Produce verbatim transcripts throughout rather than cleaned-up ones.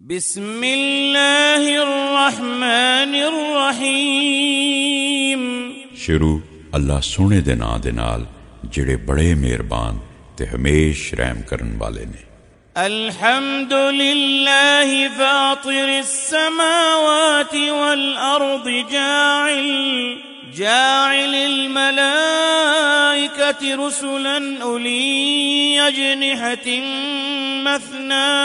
بسم اللہ الرحمن الرحیم۔ شروع اللہ سونے دے ناں دے نال، جڑے بڑے مہربان تے ہمیش رحم کرن والے نے۔ الحمد للہ فاطر السماوات والارض جاعل جاعل الملائكة رسلا أولي أجنحة مثنى،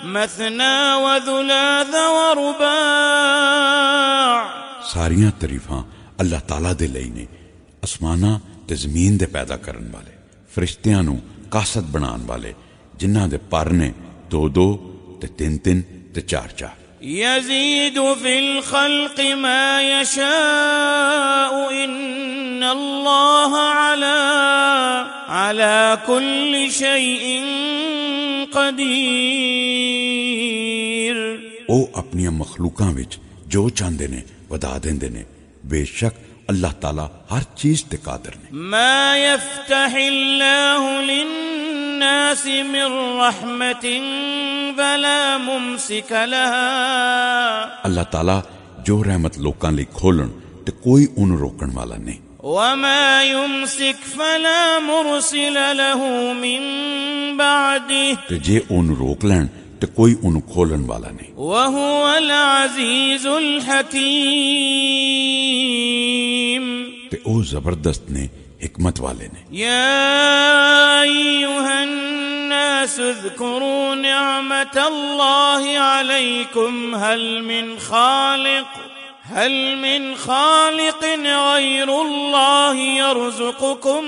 مثنى وثلاث ورباع۔ ساریاں تعریفاں اللہ تعالیٰ دے لئی نے، اسماناں تے زمین دے پیدا کرن والے، فرشتیاں نوں قاصد بنان والے، جنہاں دے پر نے دو دو تے تین تین تے چار چار۔ يزيد في الخلق ما يشاء إن الله على على كل شيء قدير۔ او اپنیاں مخلوقاں وچ جو چاہندے نے، ودا دیندے نے۔ بے شک اللہ تعالیٰ ہر چیز تے قادر نے۔ ما يفتح الله للناس من رحمة فلا ممسك لها۔ اللہ تعالیٰ جو رحمت لوکاں لئی کھولن تے کوئی اونوں روکن والا نہیں۔ وما يمسك فلا مرسل له من بعده۔ تے جے اونوں روک لین تے کوئی اونوں کھولن والا نہیں۔ وهو العزيز الحكيم۔ تے او زبردست نے، حکمت والے نے۔ يا أيها الناس اذكروا نعمة الله عليكم هل من خالق هل من خالق غير الله يرزقكم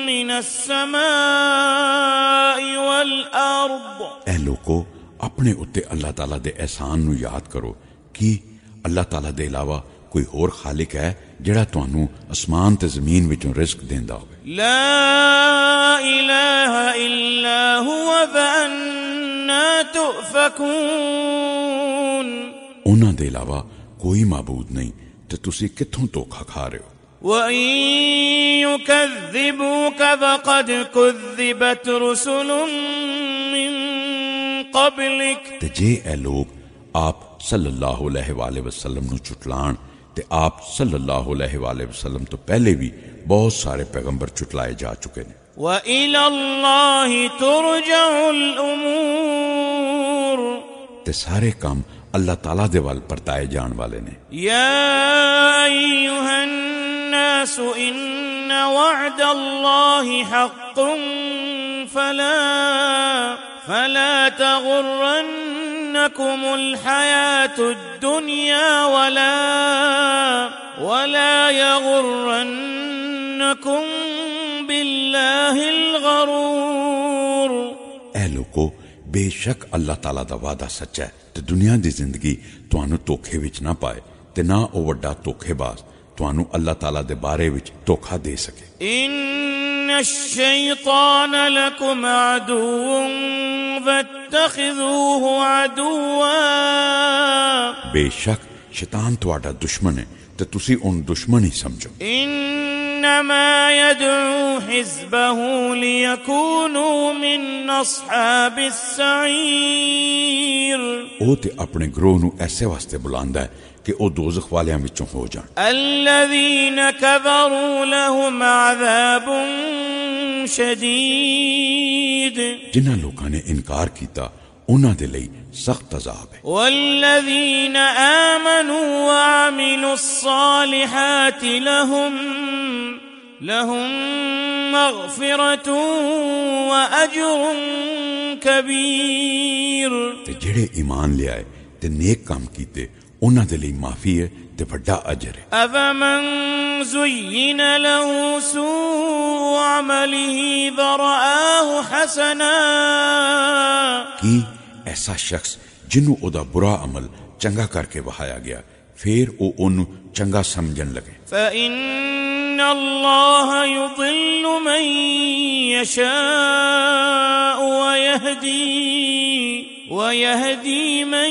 من السماء والأرض۔ اے لوکو، اپنے اُتے اللہ تعالیٰ دے احسان نوں یاد کرو۔ کی اللہ تعالیٰ دے علاوہ کوئی ہور خالق ہے جڑا تانوں اسمان تے زمین وچوں رزق دیندا ہوئے؟ لا إله إلا هو فأنا تؤفكون۔ انہاں دے علاوہ کوئی معبود نہیں تے تسی کتھوں دھوکا کھا رہے ہو؟ وَإِن يُكَذِّبُوكَ فَقَدْ كُذِّبَتْ رُسُلٌ مِّن قَبْلِكَ۔ تے جے اے لوگ آپ صلی اللہ علیہ وآلہ وسلم نو چٹلان، تے آپ صلی اللہ علیہ وآلہ وسلم تو پہلے بھی بہت سارے پیغمبر چٹلائے جا چکے نے۔ وَإِلَى اللَّهِ تُرْجَعُ الْأُمُورُ۔ تے سارے کام اللہ تعالیٰ دے ول پرتائے جان والے نے۔ يَا أَيُّهَا النَّاسُ إِنَّ وَعْدَ اللَّهِ حَقٌّ فَلَا فَلَا تَغُرَّنَّكُمُ الْحَيَاةُ الدُّنْيَا وَلَا وَلَا يَغُرَّنَّكُم بِاللَّهِ الْغَرُورُ۔ اے لوکو، بے شک اللہ تعالیٰ دا وعدہ سچا ہے، تے دنیا دی زندگی تانوں دھوکے وچ نہ پائے، تے نہ او وڈا دھوکے باز تانوں اللہ تعالیٰ دے بارے وچ دھوکا دے سکے۔ إِنَّ الشَّيْطَانَ لَكُمْ عَدُوٌّ فَاتَّخِذُوهُ عَدُوًّا۔ بے شک شیطان تہاڈا دشمن ہے، تے تسی اون دشمن ہی سمجھو۔ إِنَّمَا يَدْعُو حِزْبَهُ لِيَكُونُوا مِنْ أَصْحَابِ السَّعِيرِ۔ او تے اپنے گروہ نو ایسے واسطے بلاندا ہے کہ او دوزخ والیاں وچوں ہو جان۔ الذين كفروا لهم عذاب شديد۔ جنہاں لوکاں نے انکار کیتا، انہاں دے لئی سخت عذاب ہے۔ والذين آمنوا وعملوا الصالحات لهم لهم مغفرة وأجر كبير۔ تے جڑے ایمان لے آئے تے نیک کام کیتے، انہاں دے لئی معافی ہے تے وڈا اجر ہے۔ أفمن زين له سوء عمله فرآه حسنا۔ کی ایسا شخص جنوں او دا برا عمل چنگا کر کے وہایا گیا، پھر او اونوں چنگا سمجھن لگے۔ فإن الله يضل من يشاء ويهدي ويهدي من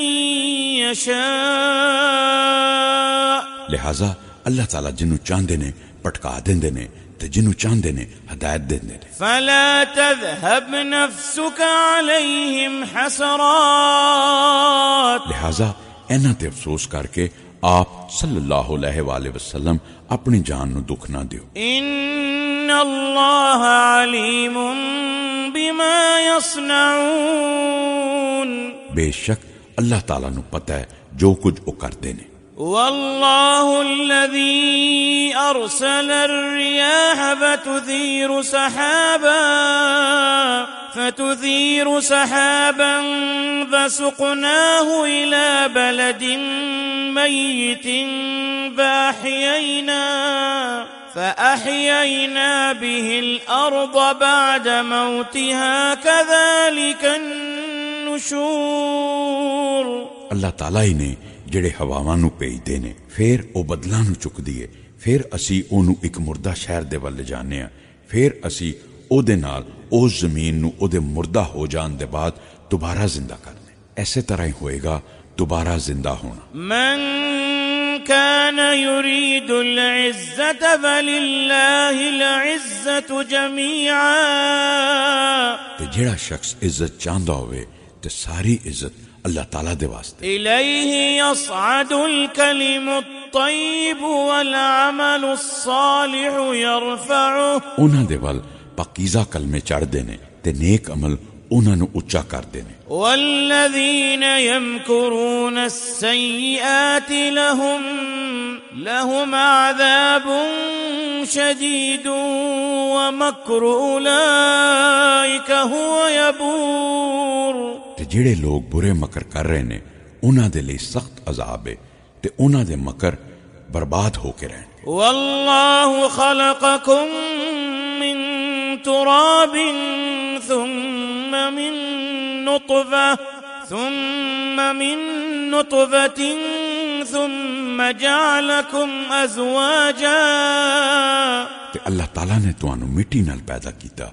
يشاء۔ لہذا اللہ تعالیٰ جنوں چاہندے نے، پٹکا دیندے نے، تے جنوں چاہندے نے، ہدایت دیندے نے۔ فلا تذهب نفسك عليهم حسرات۔ لہذا انہاں تے افسوس کر کے آپ صلی اللہ علیہ وآلہ وسلم اپنی جان نوں دکھ نہ دیو۔ ان اللہ علیم بما یصنعون۔ بے شک اللہ تعالیٰ نوں پتہ ہے جو کچھ وہ کردے نے۔ والله الذي أرسل الرياح فتثير سحابا، فتثير سحابا فسقناه إلى بلد ميت فأحيينا، فأحيينا به الأرض بعد موتها كذلك النشور۔ اللہ تعالیٰ ہی نے جڑے ہواواں نوں بھیجدے نے، پھر او بدلاں نوں چکدی ہے، پھر اسی اونوں اک مردہ شہر دے ول لے جانے ہاں، پھر اسی او دے نال او زمین نوں او دے مردہ ہو جان دے بعد دوبارہ زندہ کرنے۔ ایسے طرح ہی ہوئے گا دوبارہ زندہ ہونا۔ من كان يريد العزة فلله العزة جميعا۔ تے جڑا شخص عزت چاہندا ہوئے تے ساری عزت اللہ تعالیٰ دے واسطے۔ إليه يصعد الكلم الطيب والعمل الصالح يرفعه۔ انہاں دے ول پاکیزہ کلمے چڑھدے نے تے نیک عمل انہاں نوں اچا کردے نے۔ والذين يمكرون السيئات لهم، لهم عذاب شديد ومكر أولئك هو يبور۔ تے جڑے لوگ برے مکر کر رہے نے، انہاں دے لئی سخت عذاب ہے تے انہاں دے مکر برباد ہو کے رہن۔ والله خلقكم من تراب ثم من نطفة، ثم من نطفة، ثم جعلكم أزواجا۔ تے اللہ تعالیٰ نے تانوں مٹی نال پیدا کیتا،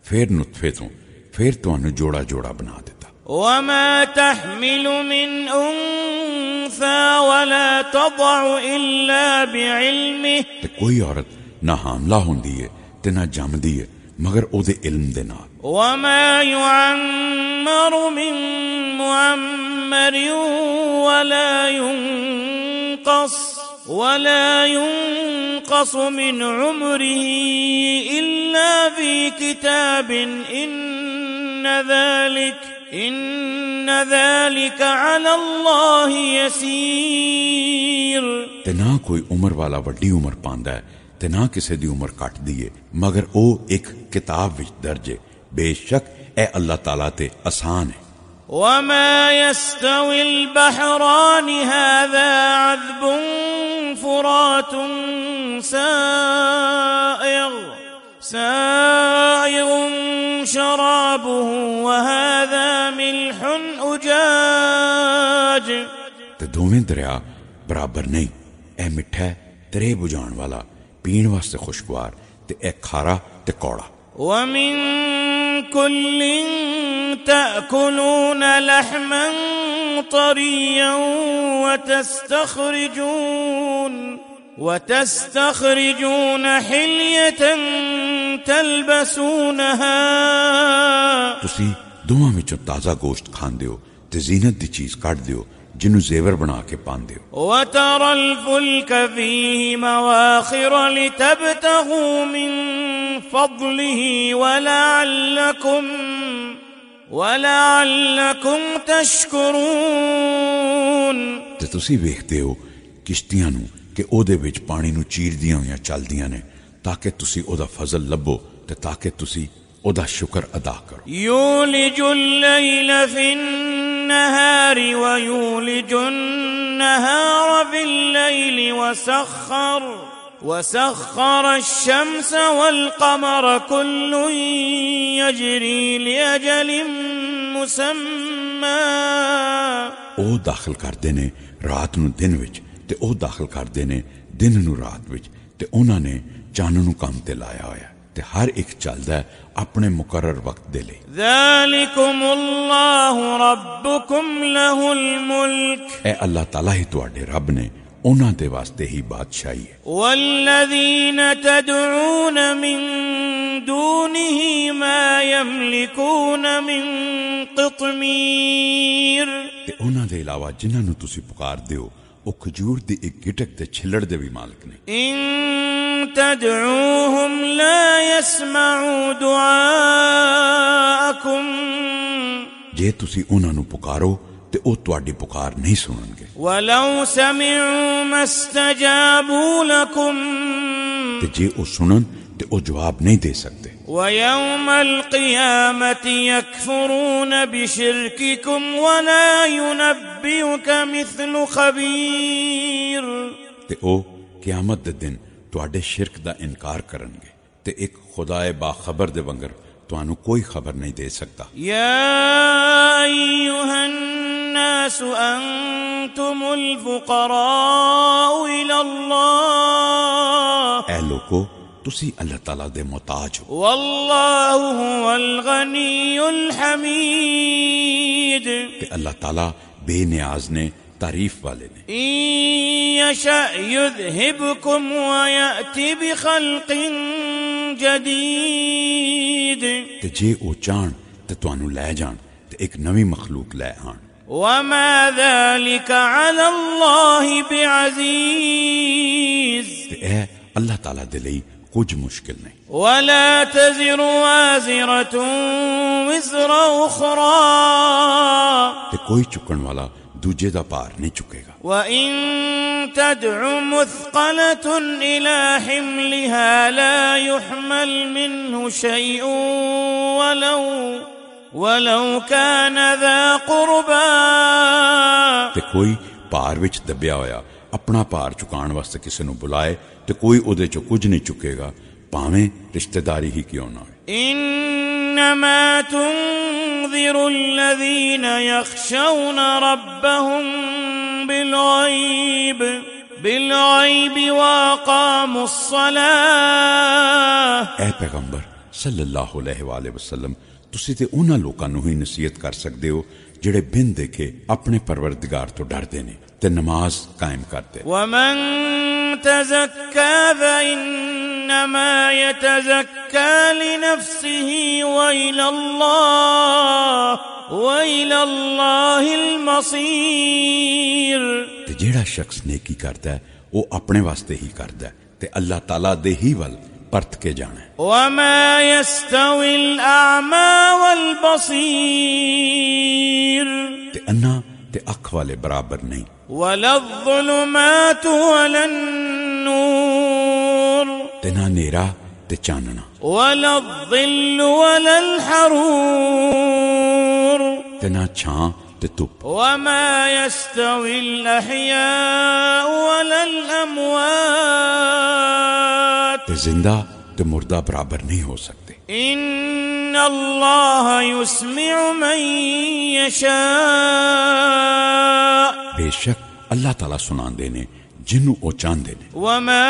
پھر نطفے توں، پھر تانوں جوڑا جوڑا بنا دیتا۔ وما تحمل من أنثى ولا تضع إلا بعلمه۔ تے کوئی عورت نہ حاملہ ہوندی ہے تے نہ جمدی ہے مگر او دے علم دے نال۔ وما يعمر من معمر ولا ينقص، ولا ينقص من عمره إلا في كتاب إن ذلك، إن ذلك على الله يسير۔ تے نہ کوئی عمر والا وڈی عمر پاندا ہے تے نہ کسے دی عمر کٹ دی ہے، مگر او ایک کتاب وچ درج ہے۔ بے شک اے اللہ تعالیٰ تے آسان ہے۔ وما يستوي البحران هذا عذب فرات سائغ، سائغ شرابه وهذا ملح أجاج۔ تے دوویں دریا برابر نہیں، اے مٹھا ہے ترے بجھان والا، پین واسطے خوشگوار، تے اے کھارا تے کوڑا۔ ومن كل تأكلون لحما طريا وتستخرجون، وتستخرجون حلية تلبسونها۔ تسی دوواں وچوں تازہ گوشت کھاندے ہو تے زینت دی چیز کڈ دیو، جنوں زیور بنا کے پاندے ہو۔ وترى الفلك فيه مواخر لتبتغوا من فضله ولعلكم، ولعلكم تشكرون۔ تے تسی ویکھدے ہو کشتیاں نوں کہ او دے وچ پانی نوں چیردیاں ہویاں چلدیاں نے، تاکہ تسی او دا فضل لبھو تے تاکہ تسی او دا شکر ادا کرو۔ يولج الليل في النهار ويولج النهار في الليل وسخر، وسخر الشمس والقمر كل يجري لأجل مسمى۔ او داخل کردے نے رات نوں دن وچ، تے او داخل کردے نے دن نوں رات وچ، تے انہاں نے چن نوں کم تے لایا ہویا ہے، تے ہر ایک چلدا ہے اپنے مقرر وقت دے لئی۔ ذلكم الله ربكم له الملك۔ اے اللہ تعالیٰ ہی تواڈے رب نے، انہاں دے واسطے ہی بادشاہی ہے۔ والذین تدعون من دونه ما یملکون من قطمیر۔ تے انہاں دے علاوہ جنہاں نوں تسی پکار دیو، او کھجور دی ایک گٹک دے چھلڑ دے بھی مالک نے۔ ان تدعوهم لا يسمعوا دعاءكم۔ جے تسی انہاں نوں پکارو تے او تہاڈی پکار نہیں سنن گے۔ ولو سمعوا ما استجابوا لكم۔ تے جے او سنن تے او جواب نہیں دے سکدے۔ ويوم القيامة يكفرون بشرككم ولا ينبئك مثل خبير۔ تے او قیامت دے دن تہاڈے شرک دا انکار کرن گے۔ تے ایک خدائے باخبر دے ونگر تانوں کوئی خبر نہیں دے سکدا۔ يا أيها الناس أنتم الفقراء إلى الله۔ اے لوکو، تسی اللہ تعالیٰ دے محتاج ہو۔ والله هو الغني الحميد۔ تے اللہ تعالیٰ بے نیاز نے، تعریف والے نے۔ إن يشأ يذهبكم ويأت بخلق جديد۔ تے جے او چاہن تے تانوں لے جان تے ایک نویں مخلوق لے آن۔ وما ذلك على الله بعزيز۔ تے اے اللہ تعالیٰ دے لئی کچھ مشکل نہیں۔ ولا تزر وازرة وزر أخرى۔ تے کوئی چکن والا دوجے دا بھار نہیں چکے گا۔ وإن تدع مثقلة إلى حملها لا يحمل منه شيء ولو ولو كان ذا قربى۔ تے کوئی پار وچ دبیا ہویا اپنا پار چکان واسطے کسے نوں بلائے تے کوئی اودے چوں کچھ نہیں چکے گا، پاویں رشتہ داری ہی کیوں نہ ہوئے۔ انما تنذر الذين يخشون ربهم بالغيب بالغيب واقاموا الصلاة۔ اے پیغمبر صلی اللہ علیہ وآلہ وسلم، تسی تے انہاں لوکاں نوں ہی نصیحت کر سکدے ہو جڑے بن دیکھے اپنے پروردگار تو ڈردے نے تے نماز قائم کردے۔ ومن تزكى فإنما يتزكى لنفسه وإلى الله وإلى الله المصير۔ تے جیڑا شخص نیکی کردا ہے، او اپنے واسطے ہی کردا ہے تے اللہ تعالیٰ دے ہی ول پرت کے جانا ہے۔ وما يستوي الأعمى والبصير۔ تے انا تے اکھ والے برابر نہیں۔ ولا الظلمات ولا النور۔ تے نہ نیرا تے چاننا۔ ولا الظل ولا الحرور۔ تے نہ چھاں تے دھپ۔ وما يستوي الأحياء ولا الأموات۔ تے زندہ تے مردہ برابر نہیں ہو سکتے۔ إن الله يسمع من يشاء۔ بے شک اللہ تعالیٰ سناندے نے جنوں او چاہندے نے۔ وما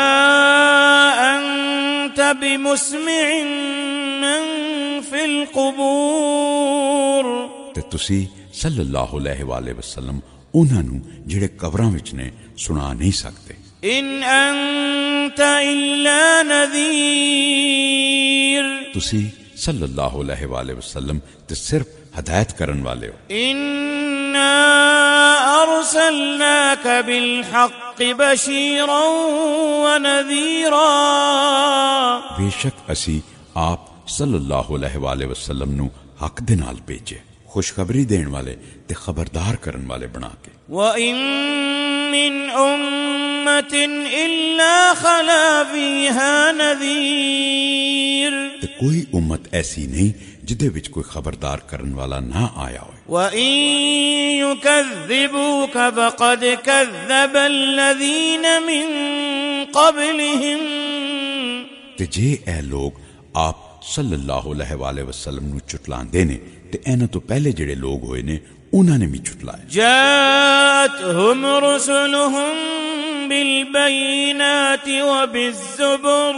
أنت بمسمع من في القبور۔ تے تسی صلی اللہ علیہ وآلہ وسلم انہاں نوں جڑے قبراں وچ نے سنا نہیں سکتے۔ إن أنت إلا نذير۔ تسی صلی اللہ علیہ وآلہ وسلم تے صرف ہدایت کرن والے ہو۔ إنا أرسلناك بالحق بشيرا ونذيرا۔ بے شک اسی آپ صلی اللہ علیہ وآلہ وسلم نو حق دے نال بھیجے، خوشخبری دین والے تے خبردار کرن والے بنا کے۔ وَإِن مِّنْ أُمَّةٍ إِلَّا خَلَا فِيهَا نَذِيرٌ۔ تے کوئی امت ایسی نہیں جدے وچ کوئی خبردار کرن والا نہ آیا ہوئے۔ وَإِن يُكَذِّبُوكَ فَقَدْ كَذَّبَ الَّذِينَ مِن قَبْلِهِمْ۔ تے جے اے لوگ آپ صلی اللہ علیہ وآلہ وسلم نو چٹلاندے نے تے انہاں تو پہلے جڑے لوگ ہوئے نے انہاں نے بھی چٹلایا۔ جاءتهم رسلهم بالبينات وبالزبر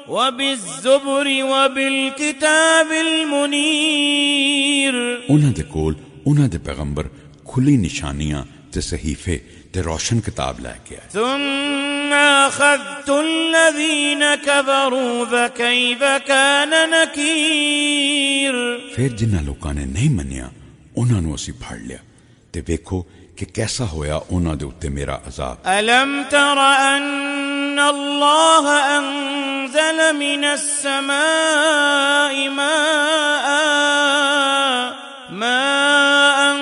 وبالزبر وبالكتاب المنير۔ انہاں دے کول انہاں دے پیغمبر کھلی نشانیاں تے صحیفے تے روشن کتاب لے کے آئے۔ ثم أخذت الذين كفروا فكيف كان نكير۔ پھر جنہاں لوکاں نے نہیں منیا، انہاں نوں اسی پھڑ لیا۔ تے ویکھو کہ کیسا ہویا انہاں دے اُتے میرا عذاب۔ ألم تر أن الله أنزل من السماء ماء، ماء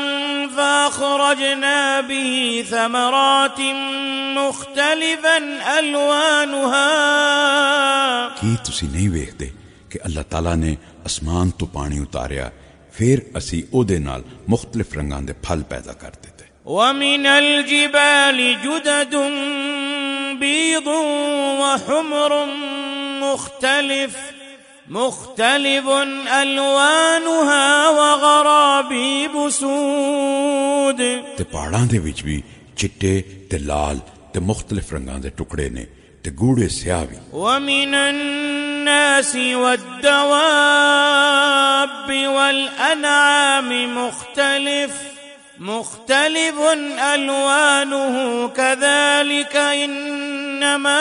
فأخرجنا به ثمرات مختلفا ألوانها۔ کی تسی نہیں ویکھدے کہ اللہ تعالیٰ نے آسمان تو پانی اتاریا، پھر اسی او دے نال مختلف رنگاں دے پھل پیدا کر دتے۔ ومن الجبال جدد بيض وحمر مختلف، مختلف ألوانها وغرابيب سود۔ تے پہاڑاں دے وچ بھی چٹے تے لال تے مختلف رنگاں دے ٹکڑے نے، تے گوڑے سیاہ وی۔ ومن الناس والدواب والأنعام مختلف، مختلف ألوانه كذلك إنما،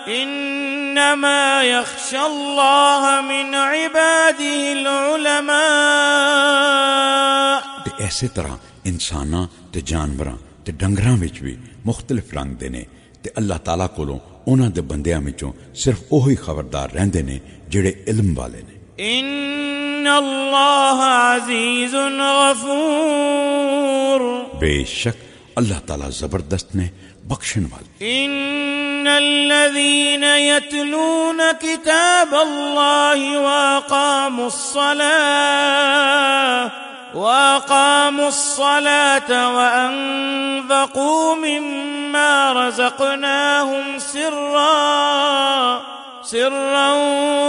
إنما يخشى الله من عباده العلماء۔ تے ایسے طرح انساناں تے جانوراں تے ڈنگراں وچ وی مختلف رنگ دے نے، تے اللہ تعالیٰ کولوں انہاں دے بندیاں وچوں صرف اوہی خبردار رہندے نے جڑے علم والے نے۔ ان اللہ عزیز غفور۔ بے شک اللہ تعالیٰ زبردست نے، بخشن والے۔ ان الذين يتلون كتاب الله واقاموا الصلاة، واقاموا الصلاة وانفقوا مما رزقناهم سرا، سرا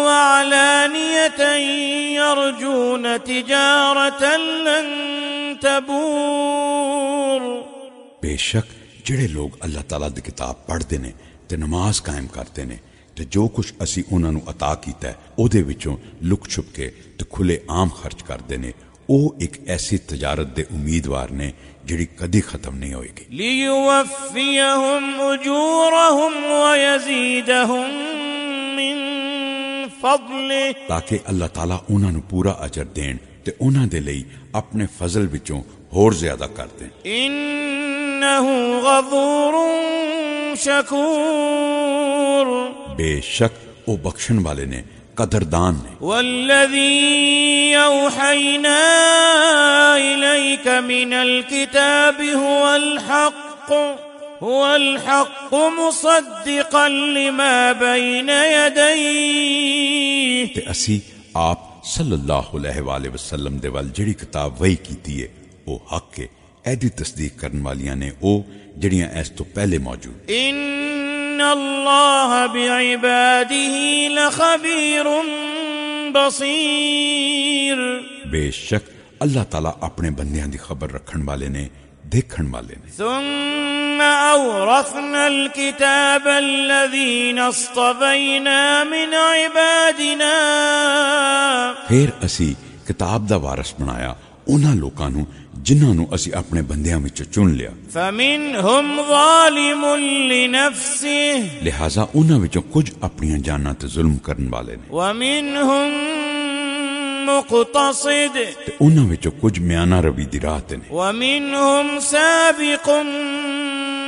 وعلانية يرجون تجارة لن تبور۔ بے شک جڑے لوگ اللہ تعالیٰ دی کتاب پڑھدے نے تے نماز قائم کردے نے، تے جو کچھ اسی انہاں نوں عطا کیتا ہے، او دے وچوں لک چھپ کے تے کھلے عام خرچ کردے نے، او ایک ایسی تجارت دے امیدوار نے جڑی کدی ختم نہیں ہوئے گی۔ لِيُوَفِّيَهُمْ أُجُورَهُمْ وَيَزِيدَهُمْ مِنْ فَضْلِهِ۔ تاکہ اللہ تعالیٰ انہاں نوں پورا اجر دین تے انہاں دے لئی اپنے فضل وچوں ہور زیادہ کر دین۔ انہ غفور شکور۔ بے شک او بخشن والے نے، قدردان نے۔ والذی اوحینا الیک من الکتاب هو الحق، هو الحق مصدقا لما بین یدیہ۔ تے اسی آپ صلی اللہ علیہ وآلہ وسلم دے ول جڑی کتاب وحی کیتی ہے، او حق ہے۔ ایدی تصدیق کرن والیاں نے او جڑیاں اس تو پہلے موجود۔ ان اللہ بعبادہ لخبیر بصیر۔ بے شک اللہ تعالیٰ اپنے بندیاں دی خبر رکھن والے نے، دیکھن والے نے۔ ثم اورثنا الكتاب الذين اصطفينا من عبادنا۔ پھر اسی کتاب دا وارث بنایا انہاں لوکاں نوں جنہاں نوں اسی اپنے بندیاں وچوں چن لیا۔ فمنهم ظالم لنفسه۔ لہذا انہاں وچوں کچھ اپنیاں جاناں تے ظلم کرن والے نے۔ ومنهم مقتصد۔ تے انہاں وچوں کچھ میانہ روی دی راہ تے نے۔ ومنهم سابق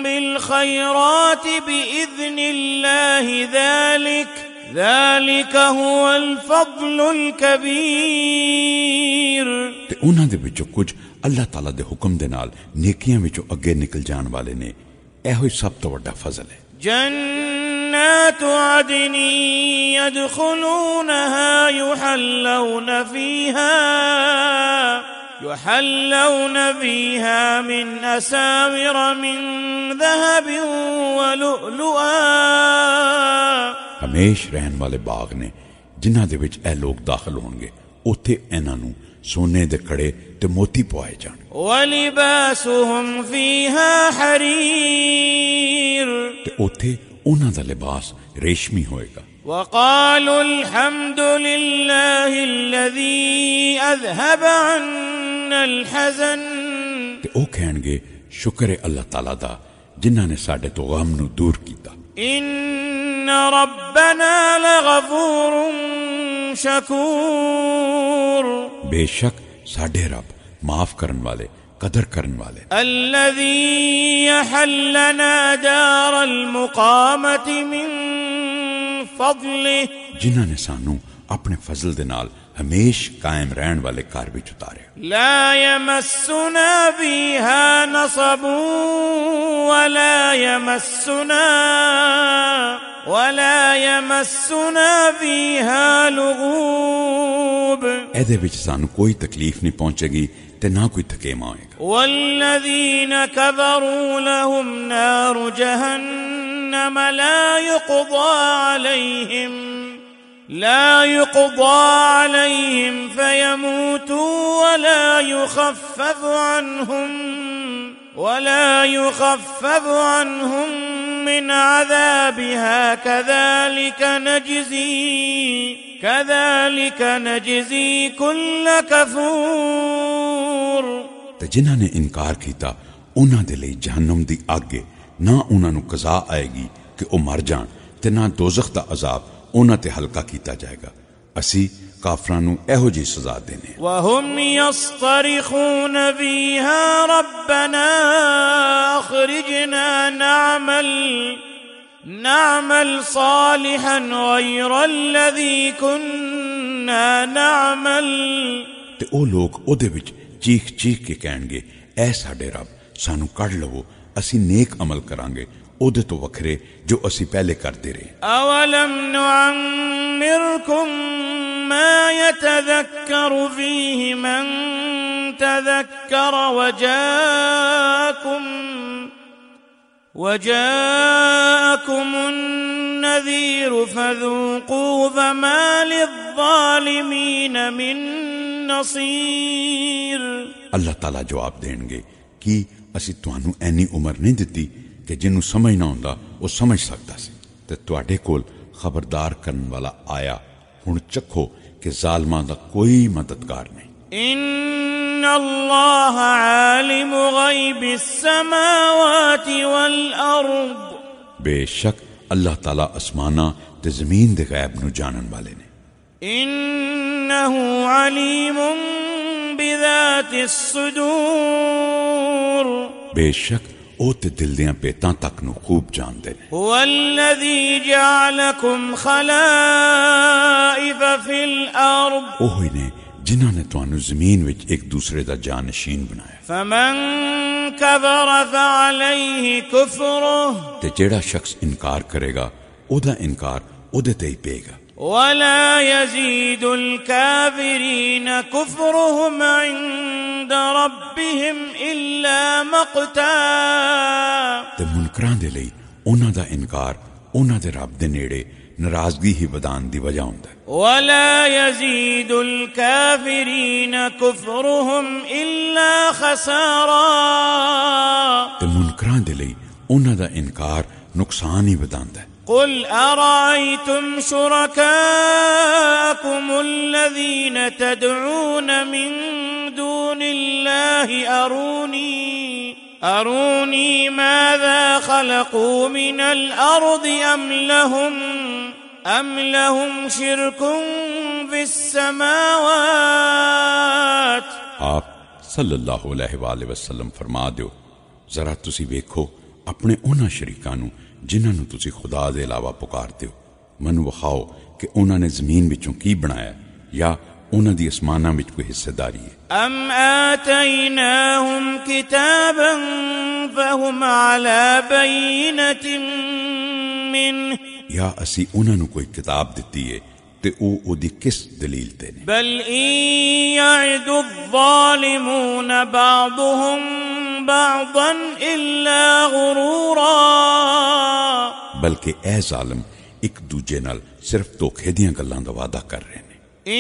بالخيرات بإذن الله ذلك، ذلك هو الفضل الكبير۔ تے انہاں دے وچوں کچھ اللہ تعالیٰ دے حکم دے نال نیکیاں وچوں اگے نکل جان والے نے۔ ایہو ہی سب تو وڈا فضل ہے۔ جنات عدن يدخلونها يحلون فيها، يحلون فيها من أساور من ذهب ولؤلؤا۔ ہمیش رہن والے باغ نے جنہاں دے وچ اے لوگ داخل ہونگے، اوتھے انہاں نوں سونے دے کڑے تے موتی پوائے جان۔ ولباسهم فيها حرير۔ تے اوتھے انہاں دا لباس ریشمی ہوئے گا۔ وقالوا الحمد لله الذي أذهب عنا الحزن۔ تے او کہنگے، "شکر ہے اللہ تعالیٰ دا، جنہاں نے ساڈے تو غم نو دور کیتا۔" ان ربنا لغفور شکور۔ بے شک ساڈے رب معاف کرن والے، قدر کرن والے۔ الذي يحلنا دار المقامة من فضله۔ جنہاں نے سانو اپنے فضل دے نال ہمیش قائم رہن والے گھر وچ اتاریا۔ لا يمسنا فيها نصب ولا يمسنا، ولا يمسنا فيها لغوب۔ ایدے وچ سانو کوئی تکلیف نہیں پہنچے گی تے نہ کوئی تھکیما ہوئے گا۔ والذين كفروا لهم نار جهنم لا يقضى عليهم، لا يقضى عليهم فيموتوا ولا يخفف عنهم، ولا يخفف عنهم من عذابها كذلك نجزي، كذلك نجزي كل كفور۔ تے جنہاں نے انکار کیتا، انہاں دے لئی جہنم دی اگ ہے، نہ انہاں نوں قضا آئے گی کہ او مر جان، تے نہ دوزخ دا عذاب انہاں تے ہلکا کیتا جائے گا۔ اسی کافراں نوں ایہو جی سزا دینے ہیں۔ وهم يصطرخون فيها ربنا أخرجنا نعمل، نعمل صالحا غير الذي كنا نعمل۔ تے او لوگ اودے وچ چیخ چیخ کے کہنگے، "اے ساڈے رب، سانو کڈ لوو، اسی نیک عمل کرانگے، اودے تو وکھرے جو اسی پہلے کردے رہے۔" اولم نعمركم ما يتذكر فيه من تذكر وجاءكم، وجاءكم النذير فذوقوا فما للظالمين من نصير۔ اللہ تعالیٰ جواب دینگے، "کی اسی تانوں اینی عمر نہیں دتی کہ جنوں سمجھنا ہوندا، او سمجھ سکدا سی؟ تے تواڈے کول خبردار کرن والا آیا، ہن چکھو کہ ظالماں دا کوئی مددگار نہیں۔" ان اللہ عالم غیب السماوات والارض۔ بے شک اللہ تعالیٰ آسماناں تے زمین دے غیب نو جانن والے نے۔ انہ علیم بذات الصدور۔ بے شک او تے دل دیاں پیتاں تک نو خوب جاندے نے۔ هو الذي جعلكم خلائف في الأرض۔ اوہی نے جنہاں نے تانوں زمین وچ ایک دوسرے دا جانشین بنایا۔ فمن كفر فعليه كفره۔ تے جیڑا شخص انکار کرے گا، او دا انکار او دے تے ہی پے گا۔ ولا يزيد الكافرين كفرهم عند ربهم إلا مقتا۔ تے منکراں دے لئی انہاں دا انکار انہاں دے رب دے نیڑے ناراضگی ہی ودان دی وجہ ہوندا ہے۔ ولا يزيد الكافرين كفرهم إلا خسارا۔ تے منکراں دے لئی انہاں دا انکار نقصان ہی وداندا ہے۔ قل أرأيتم شركاءكم الذين تدعون من دون الله أروني، أروني ماذا خلقوا من الأرض أم لهم، أم لهم شرك في السماوات۔ آپ صلی اللہ علیہ وآلہ وسلم فرما دیو، ذرا تسی ویکھو اپنے انہاں شریکاں نوں جنہاں نوں تسی خدا دے علاوہ پکار دیو، مینوں وکھاؤ کہ انہاں نے زمین وچوں کی بنایا، یا انہاں دی آسماناں وچ کوئی حصے داری ہے؟ أم آتيناهم كتابا فهم على بينة منه۔ یا اسی انہاں نوں کوئی کتاب دتی ہے تے او اودی کس دلیل تے نے؟ بل إن يعد الظالمون بعضهم بعضا إلا غرورا۔ بلکہ اے ظالم ایک دوجے نال صرف دھوکے دیاں گلاں دا وعدہ کر رہے نے۔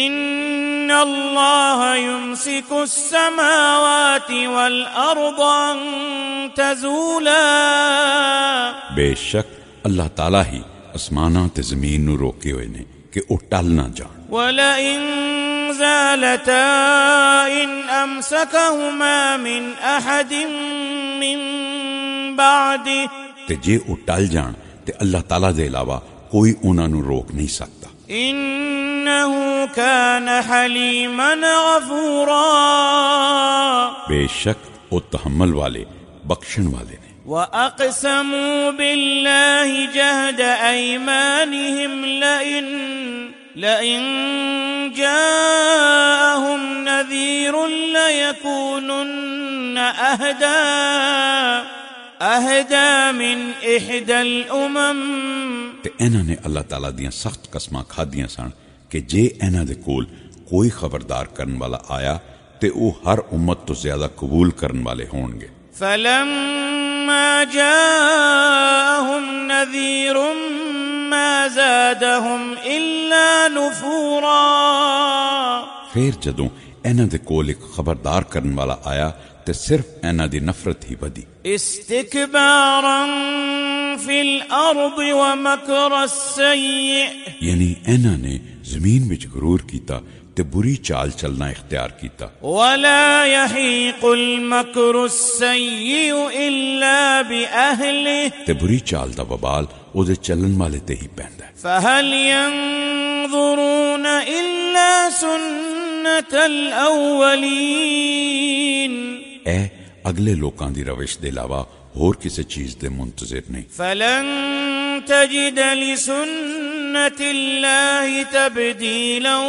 إن الله يمسك السماوات والأرض أن تزولا۔ بے شک اللہ تعالیٰ ہی آسماناں تے زمین نو روکے ہوئے نے کہ او ٹل نہ جان۔ ولئن زالتا إن أمسكهما من أحد من بعده۔ تے جے او ٹل جان تے اللہ تعالیٰ دے علاوہ کوئی انہاں نوں روک نہیں سکدا۔ إنه كان حليما غفورا۔ بے شک او تحمل والے، بخشن والے نے۔ وأقسموا بالله جهد أيمانهم لئن، لئن جاءهم نذير ليكونن أهدى، أهدى من إحدى الأمم۔ تے انہاں نے اللہ تعالیٰ دیاں سخت قسماں کھادیاں سن کہ جے انہاں دے کول کوئی خبردار کرن والا آیا تے او ہر امت تو زیادہ قبول کرن والے ہون گے۔ فلما جاءهم نذير ما زادهم إلا نفورا۔ پھر جدوں انہاں دے کول ایک خبردار کرن والا آیا تے صرف انہاں دی نفرت ہی ودھی۔ استكبارا في الأرض ومكر السيء۔ یعنی انہاں نے زمین وچ غرور کیتا تے بری چال چلنا اختیار کیتا۔ ولا يحيق المكر السيء إلا بأهله۔ تے بری چال دا وبال او دے چلن والے تے ہی پیندا ہے۔ فهل ينظرون إلا سنة الأولين۔ اے اگلے لوکاں دی روش دے علاوہ ہور کسے چیز دے منتظر نہیں۔ فلن تجد لسنة الله تبديلا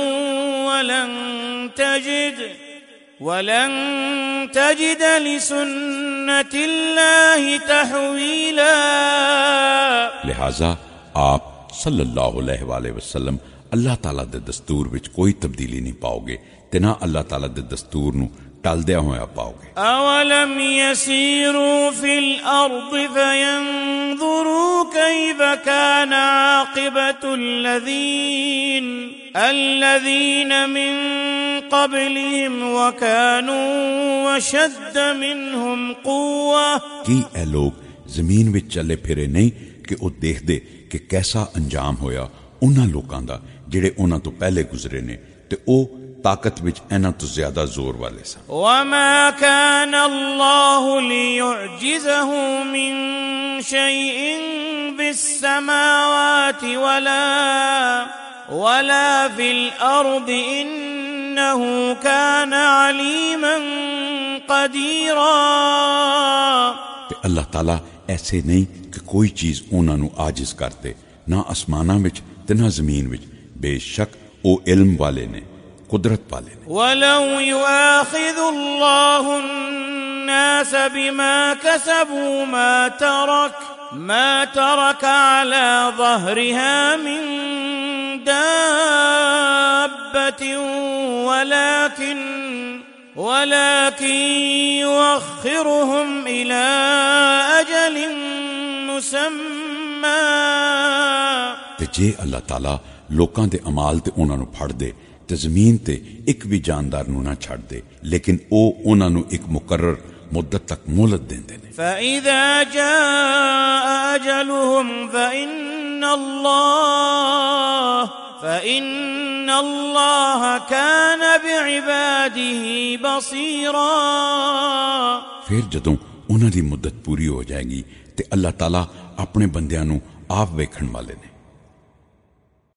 ولن تجد، ولن تجد لسنة الله تحويلا۔ لہذا آپ صلی اللہ علیہ وآلہ وسلم اللہ تعالیٰ دے دستور وچ کوئی تبدیلی نہیں پاؤ گے تے نہ اللہ تعالیٰ دے دستور نوں ٹلدیا ہویا پاؤ گے۔ أولم يسيروا في الأرض فينظروا كيف كان عاقبة الذين، الذين من قبلهم وكانوا أشد منهم قوة۔ کی اے لوگ زمین وچ چلے پھرے نہیں کہ او دیکھ دے کہ کیسا انجام ہویا انہاں لوکاں دا جڑے انہاں تو پہلے گزرے نے، تے او طاقت وچ انہاں تو زیادہ زور والے سن۔ وما كان الله ليعجزه من شيء في السماوات ولا، ولا في الأرض إنه كان عليما قديرا۔ تے اللہ تعالیٰ ایسے نہیں کہ کوئی چیز انہاں نوں عاجز کر دے۔ نہ آسماناں وچ تے نہ زمین وچ، بے شک او علم والے نے، قدرت والے نے۔ ولو يؤاخذ الله الناس بما كسبوا ما ترك، ما ترك على ظهرها من دابة ولكن، ولكن يؤخرهم إلى أجل مسمى۔ تے جے اللہ تعالیٰ لوکاں دے اعمال تے انہاں نوں پھڑ دے تے زمین تے ایک بھی جاندار نوں نہ چھڈ دے، لیکن او انہاں نوں ایک مقرر مدت تک مہلت دیندے نے۔ فإذا جاء أجلهم فإن الله، فإن الله كان بعباده بصيرا۔ پھر جدوں انہاں دی مدت پوری ہو جائے گی تے اللہ تعالیٰ اپنے بندیاں نوں آپ ویکھن والے نے۔